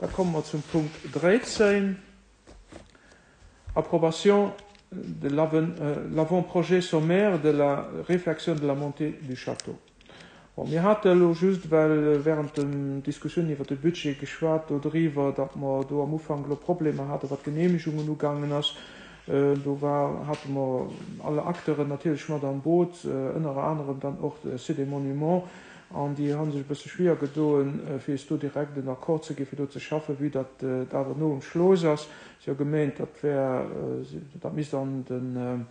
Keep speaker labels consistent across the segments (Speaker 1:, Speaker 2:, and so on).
Speaker 1: Da komme mer zum Punkt 13, Approbation de l'avant-projet sommaire de la réfection de la montée du château. Bon, mir hate elo just well während den Diskussiounen iwwert de Budget geschwat do driwwer, datt mer do am Ufank elo Problemer hate wat d'Genehmegungen ugaangen ass. Do war, hate mer alle Acteuren natierlech mat am Boot, ënner anerem dann och de Site des Monuments, an déi hu sech e bësse schwieer gedoen, fir is do direkt en Accord ze gi fir do ze schaffen, vue datt et awer no um Schlooss ass. Si hu gemeent, dat wär, dat misst an den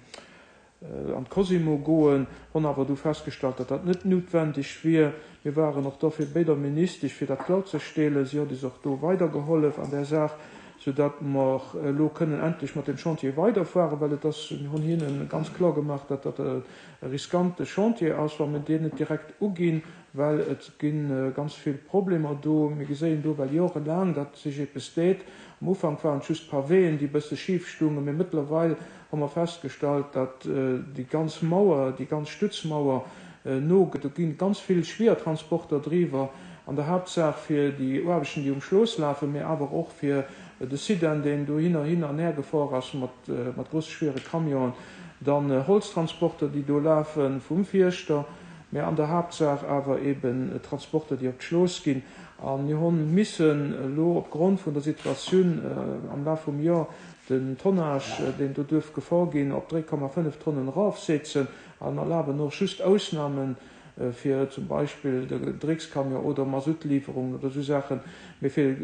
Speaker 1: an d'Cosimo goen, honn awer du festgestallt, datt dat net noutwendeg wier. Mir waren och dofir béi der Ministesch, fir dat klorzestelen. Si hott is och do weidergehollef an där Saach, soudatt mer elo kënnen endlech mat deem Chantier weiderfueren, well et ass, mir honn hinne ganz kloer gemaach, datt dat e riskante Chantier ass, wa mir deen net direkt uginn, well et gi ganz vill Problemer do. Mir geséien do well jorelaang, datt sech eppes deet. Am Ufank waren et just d'Pavéen, déi e bësse schif stungen, mee mëttlerweil hu mer festgestallt, datt déi ganz Mauer, déi ganz Stützmauer nogëtt. Do gi ganz vill Schwiertransporter driwwer, an der Haaptsaach fir déi Aarbechten, déi um Schlooss lafen, mee awer och fir de Sidan, deen dohinner hin an her gefor ass mat grousse schwiere Camionen, dann Holztransporter, déi do lafe vum Fierschter, mä an der Haaptsaach awer eben Transporter, déi op d'Schlooss ginn. A mir hu missen elo opgrond vun der Situatioun am Laf vum Joer den Tonnage, deen do duerf gefor ginn, op 3,5 Tonnen erafsetzen an erlaben och just Ausnamen fir zum Beispill de Dreckscamion oder Masuttliwwerungen oder esou Saachen. Mee fir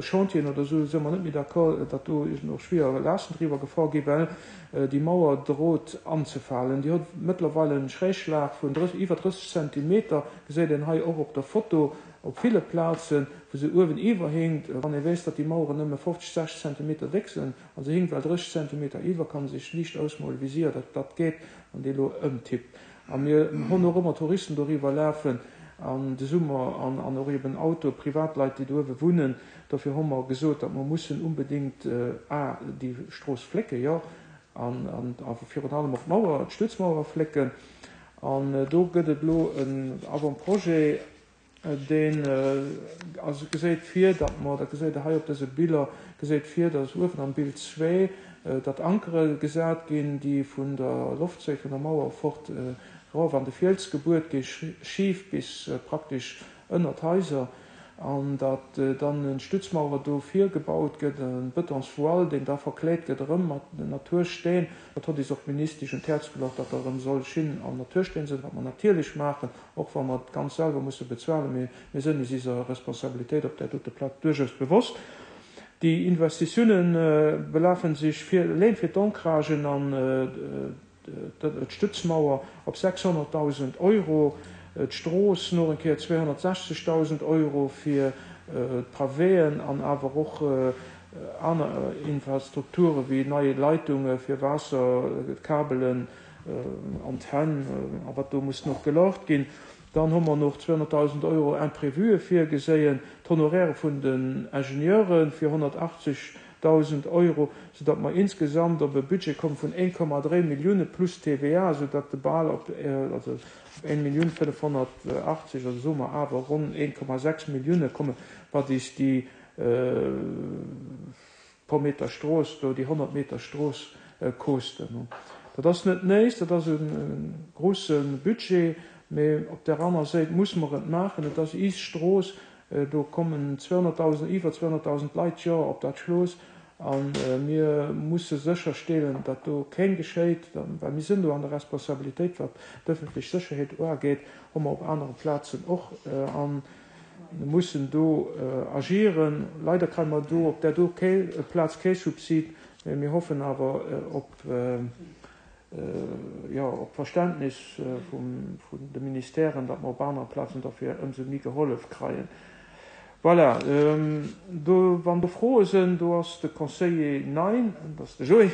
Speaker 1: Chantieren oder esou si mer net méi d'accord, datt do och schwierer Laasten driwwer gefor ginn, well déi Mauer drot anzefalen. Déi huet mëttlerweil en Schrägschlag vun iwwer 30 Zentimeter, geséit een hei och op der Foto op ville Plazen, wou se uewen iwwer hinkt. Wann ee weess, datt déi Maueren nëmme 50, 60 Zentimeter déck sinn a se hinkt well 30 Zentimeter iwwer, kann ee sech liicht ausmolen, wéi séier dat dat geet, wann déi elo ëmtippt. A mir honn och ëmmer Touristen doriwwer lafen an de Summer an an och eben Autoe, Privatleit, déi do uewe wunnen. Dofir hu mer gesot, datt mer mussen unbedéngt a déi Strooss flécken, jo, an an a virun allem och d'Mauer, d'Stützmauer flécken. An do gëtt et elo en Avant-projet, Deen also geséit vir, datt mer, dat geséit Der hei op dëse Biller, geséit vir, datt uewen am Bild zwee, datt Ankere gesat ginn, déi vun der Loftséil vun der Mauer fort erof an de Fiels gebuert gi, schif bis praktesch ënner d'Haiser, an datt dann en Stützmauer do virgebaut gëtt, e Betonsvoile, deen da verkleet gëtt erëm mat Natursteen. Dat hott is och d'Ministesch un d'Häerz geluecht, datt da erëm soll Schinn an Natursteen sinn, wat mer natierlech maachen. Och wa mer et ganz selwer musse bezuelen, mee mir sënn is iser Responsabilitéit op där dote Plaz duerchaus bewosst. Déi Investitiounen belafen sech fir eleng fir d'Ancragen an d'Stützmauer op 600.000 Euro, d'Strooss nach eng Kéier 260.000 Euro fir d'Pavéen an awer och aner Infrastrukture wéi nei Leitunge fir Waasser, Kabelen, Antenn a wat do muss nach gelaucht ginn. Dann hu mer nach 200.000 Euro Imprévuë virgeséien, d'Honoraire vun den Ingenieure fir 180.000 Euro, soudatt mer insgesamt op e Budget komme vun 1,3 Millioune plus TVA, soudatt de bal op, also op 1.580.000, also soe mer awer ronn 1,6 Millioune kommen, wat is déi Pro Meter Strooss do déi 100 Meter Strooss koosten. Dat ass net néis, dat ass e grouse Budget, mee op där aner Séit muss mer et maachen. Et ass iis Strooss, do kommen 200.000, iwwer 200.000 Leit d'Joer op dat Schlooss a mir musse sécherstelen, datt do kéng geschéit, well mir sinn do an der Responsabilitéit, wat d'ëffentlech Sécherheet uageet, hu mer op anere Plazen och. An Mir mussen do agieren. Leider kréie mer do op där do Plaz kee Subsid, mä mir hoffen awer op, jo, op Verständnis vun de Ministèren, datt mer op anere Plazen derfir ëmsou méi gehollef kreien. Voilà, do, wann do Froe sinn, do ass de Conseiller Nein, dat ass de Joé,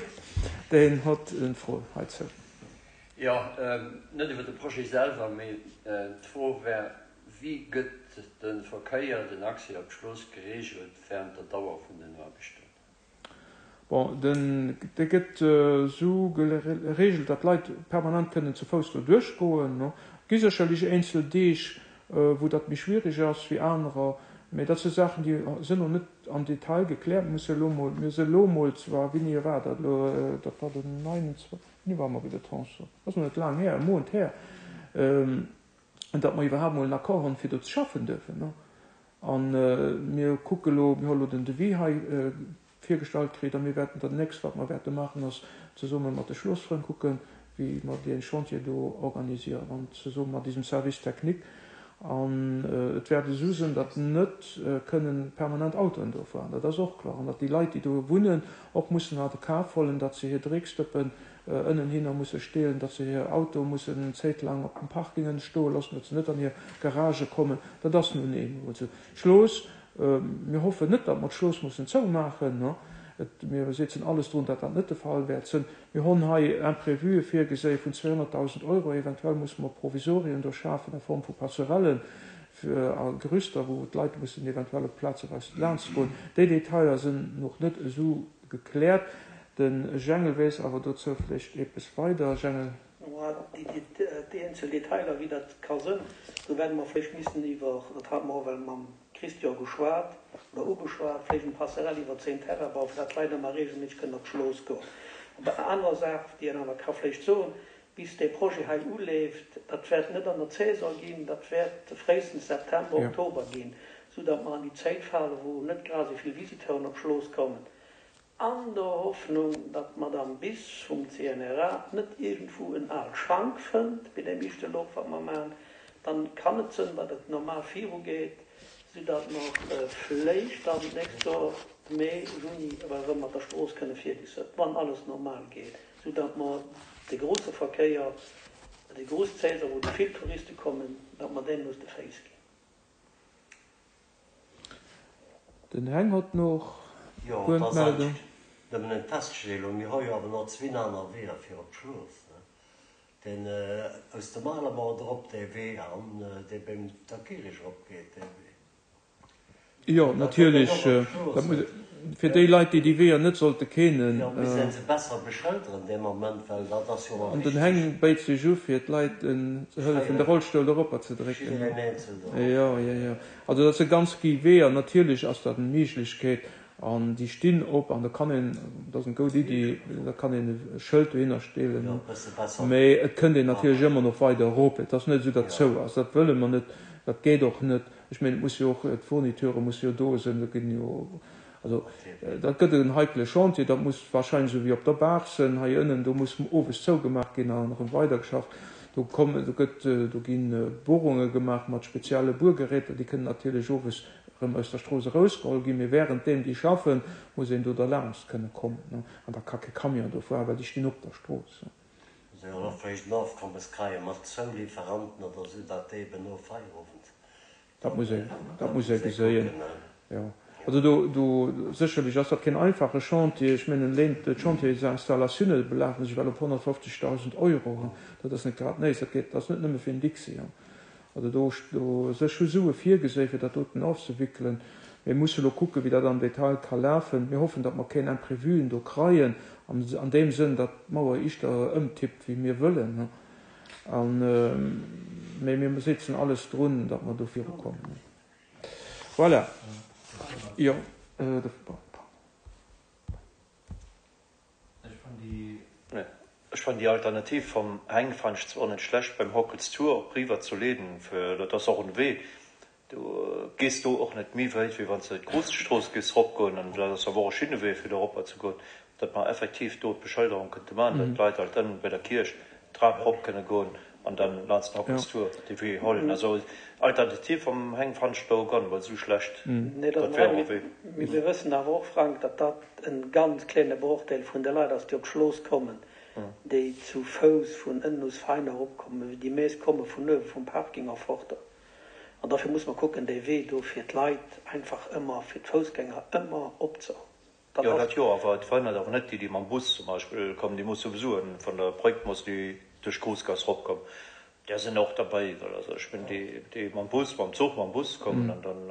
Speaker 1: deen huet eng Fro heizou.
Speaker 2: Jo, net iwwer de Projet selwer, mee d'Fro wär, Wéi gëtt de Verkéier, den Accès op d'Strooss gereegelt wärend der Dauer vun den Aarbechten?
Speaker 1: Bon, den, dee gëtt esou gereegelt, datt d'Leit permanent kënnen zu Fouss do duerchgoen. Et gi sécherlech eenzel Deeg, wou dat méi schwierig ass wéi anerer. Mee dat si Saachen, déi sinn elo net am Detail gekläert. Mir musse elo mol, mir si elo mol zwar, wéini war dat elo, dat war den 29, wéini ware mer bei der Tranche? Dat ass nach net laang här, e Mount här, datt mer iwwerhaapt mol en Accord hunn, fir do ze schaffen duerfen. A mir kucke elo, mir hu elo den Devis hei virgestallt kritt a mir wäerten dat nächst, wat mer wäerte maachen, ass zesumme mat de Schloossfrënn kucken, wéi mer dee Chantier do organisieren an zesumme mat diesem Service technique. An et wäert esou sinn, datt net kënnen permanent Autoen do fueren, dat ass och kloer, an datt déi Leit, déi do wunnen, och mussen a de Kaf hollen, datt se hir Drecksdëppen ënnenhinner musse steelen, datt se hir Autoe mussen eng Zéit laang op den Parkingen stoe loossen, datt se net an hir Garagë kommen. Dat ass nun eemol esou. D'Schlooss Mir hoffen net, datt mer d'Schlooss mussen zoumaachen. Mir setzen alles drun, datt dat net de Fall wäert sënn. Mir honn hei Imprévuë virgeséi vun 200.000 Euro. Eventuell musse mer Provisorien do schafen a Form vu Passerellen a Gerüster, wou d'Leit mussen eventuell op plazeweis laanschtgoen. Déi Detailer sënn noch net esou gekläert. De Jengel weess awer dozou vläicht eppes weider. Jengel.
Speaker 3: Déi eenzel Detailer, wéi dat ka sënn, do wäerte mer vläicht missen iwwer, dat hate mer och ewell mam Christian geschwat oder ugeschwat, vläicht eng Passerelle iwwer zéin Terrain bauen, fir dat d'Leit ëmmer regelméisseg kënnen op d'Schlooss goen. Op eng aner Saach, déi een awer ka vläicht soen, bis dee Projet hei uleeft, dat wäert net an der Saison ginn, dat wäert fréistens September, Oktober ginn, soudatt mer an déi Zäit falen, wou net grad esou vill Visiteuren op d'Schlooss kommen. An der Hoffnung, datt d'Madame Bis vum CNRA net iergendwou en aalt Schank fënnt bei deem éischte Loch, wat mer maachen, dann kann et sënn, datt et normal virugeet, soudatt mer vléicht dann d'nächst Joer Mee, Juni ewell erëm mat der Strooss kënne fierdeg sënn, wann alles normal geet, soudatt mer de grousse Verkéier, déi grouss Saison, wou déi vill Touriste kommen, datt mer deenen aus de Féiss ginn.
Speaker 1: Den Heng hott noch
Speaker 2: Jo, et ass eigentlech nëmmen eng Feststellung. Mir hu jo awer nach zwinn aner Weeër fir op d'Schlooss, ne? Deen aus dem Alemort erop, dee Wee, an dee beim der Kirich erop geet, dee Wee.
Speaker 1: Jo, natierlech. Dat muss, fir déi Leit, déi déi Weeër net sollte kennen.
Speaker 2: Jo, misst een se besser beschëlderen dee Moment, well dat ass jo och
Speaker 1: An den
Speaker 2: wichteg.
Speaker 1: Heng béit sech u fir d'Leit ze hëllefen, de Rollstull eropper ze drécken.
Speaker 2: Jiddereen eenzel do.
Speaker 1: Jo, jo, jo. Also dat si ganz gi Weeër. Natierlech ass dat eng Méiglechkeet an déi stinn op an da kann een, dat ass eng goud Iddi, da kann een e Schëld dohinner stellen.
Speaker 2: Jo, e bësse besser.
Speaker 1: Mee et kënnt een natierlech ëmmer nach weider erop. Et ass net esou, datt zou ass. Dat wëlle mer net, dat geet och net. Ech mengen, et muss jo och, d'Fourniture musse jo do sinn, do ginn jo, also dat gëtt en heikele Chantier, dat muss wahrscheinlech esou wéi op der Baach sinn, hei ënnen, do muss owes zougemaach ginn an erëm weidergeschafft. Do kommen, do gëtt, do gi Bohrunge gemaach mat spezielle Buergeräter, déi kënnen natierlech owes erëm aus der Strooss erausgeholl ginn, mee wärenddeem déi schaffen, muss een do derlaanscht kënne kommen, an da ka kee Camion do fueren, well déi stinn op der Strooss.
Speaker 2: Muss een och vléicht en Ofkommes kreien mat Zouliferanten oder sou, dat déi eben no Feierowend
Speaker 1: Dat muss ee, dat muss ee geséien, jo. Also do, do sécherlech ass dat keen einfache Chantier. Ech mengen, eleng d'Chantiersinstallatiounen belafen sech well op 150.000 Euro. Dat ass net grad néis. Dat geet, dat ass net nëmme fir en Dixi. Also do, do sech hu Sue virgeséi fir dat doten ofzewickelen. Mir musse elo kucken, wéi dat am Detail ka lafen. Mir hoffen, datt mer keen Imprévuen do kreien, an, an deem Sënn, datt d'Mauer ischter ëmtippt, wéi mir wëllen. An, mee mir setzen alles drun, datt mer do virukommen. Voilà. Jo, de.
Speaker 4: Ech fannen déi Alternativ vam Heng fannen ech zwar net schlecht beim Hockels Tour op riwer ze leeden, fir dat ass och en Wee, du gees do och net méi wéit wéi wanns de d'Gruussstrooss géifs rop goen, an dat ass awer och e schinne Wee fir do eropper ze goen, datt mer effektiv do d'Beschëlderung kënnte man, datt d'Leit alt ënnen bei der Kierch d'Trap rop kënne goen an dann laanst den Hockels Tour dee Wee hollen. Also Alternativ vam Heng fannen ech do gar net mol esou schlecht,
Speaker 3: dat wär och e Wee. Mee mir wëssen awer och, Frank, datt dat en ganz kléne Brochdeel vun de Leit ass, déi op d'Schlooss kommen, déi zu Fouss vun ënnen us Vein eropkommen. Déi meescht komme vun uewe vum Parking erforter. An dofir muss mer kucken, dee Wee do fir d'Leit einfach ëmmer, fir d'Foussgänger ëmmer opzehunn.
Speaker 4: Dat Jo, dat jo, awer et verhënnert awer net déi, déi mam Bus zum Beispill kommen, déi musse souwisou vun der Bréck mussen déi duerch d'Groussgaass eropkommen. Där sinn och derbäi, well also ech mengen déi, déi mam Bus, mam Zuch, mam Bus kommen an dann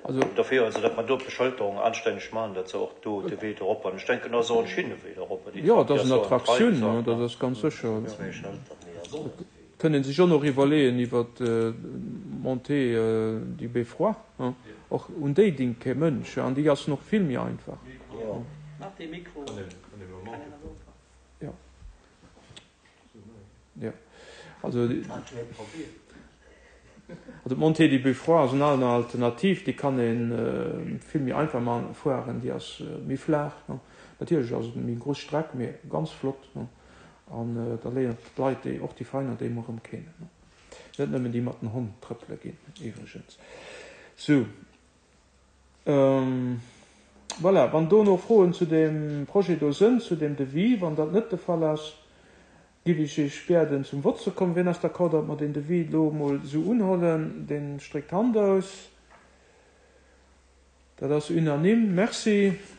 Speaker 1: Also.
Speaker 4: Dofir also, datt mer do d'Beschëlterung anstänneg maachen, datt se och do de Wee do erop an ech denken, dat ass och en Schinnewee do erop, déi
Speaker 1: Jo, et
Speaker 4: Trap, déi
Speaker 1: ass
Speaker 4: ass
Speaker 1: en
Speaker 4: jo en
Speaker 1: Attraktioun,
Speaker 4: Trail,
Speaker 1: dat ass ganz sécher.
Speaker 2: Zwéi Schëlter, méi ass och net vill.
Speaker 1: Kënnt een sech och nach iwwerleeën iwwer d'Montée du Beffroi. Och un déi dinkt kee Mënsch, an déi ass nach vill méi einfach. Jo. Jo. Also, also d'Montée du Beffroi ass en aner Alternativ, déi kann ee vill méi einfach man fueren, déi ass méi flaach. Natierlech ass et méi grouss Streck, mee ganz flott. An da léieren d'Leit déi och déi Veräiner déi emol erëm kennen. Net nëmmen déi mat den Honn trëppele ginn iwwregens. Sou. Voilà, wann do nach Froen zu deem Projet do sënn, zu deem Devis, wann dat net de Fall ass, giff ech Iech biäden zum Vott ze kommen. Wien ass d'accord, datt mer deen Devis elo emol esou unhollen? Deen stréckt d'Hand aus. Dat ass unanime. Merci.